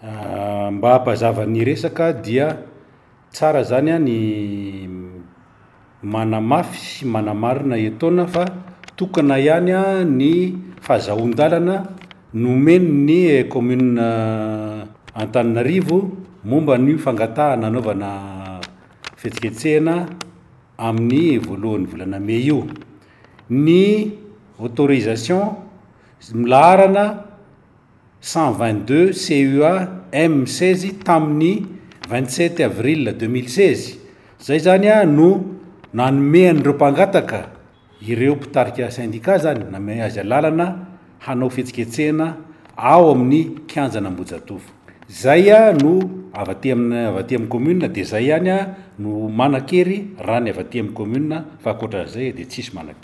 Mba hampazava ny resaka dia tsara zany ny manamafy sy manamarina etoana fa tokana ihany ny fahazahoan-dalana nomen'ny commune Antananarivo momba an'io fangatahana hanaovana fihetsiketsehana amin'ny voalohan'ny volana mey io. Ny autorisation milaharana 122 CUA M 16 tamin'ny 27 avril 2016, zay zany no nanome an'ireo mpangataka, ireo mpitarika syndicat zany, nanome azy alalana hanao fihetsiketsehana ao amin'ny kianjan'Ambohijatovo. Zay no avy aty amin'ny avy aty amin'ny commune dia zay ihany no manan-kery raha ny avy aty amin'ny commune fa ankoatran'izay dia tsisy manan-kery.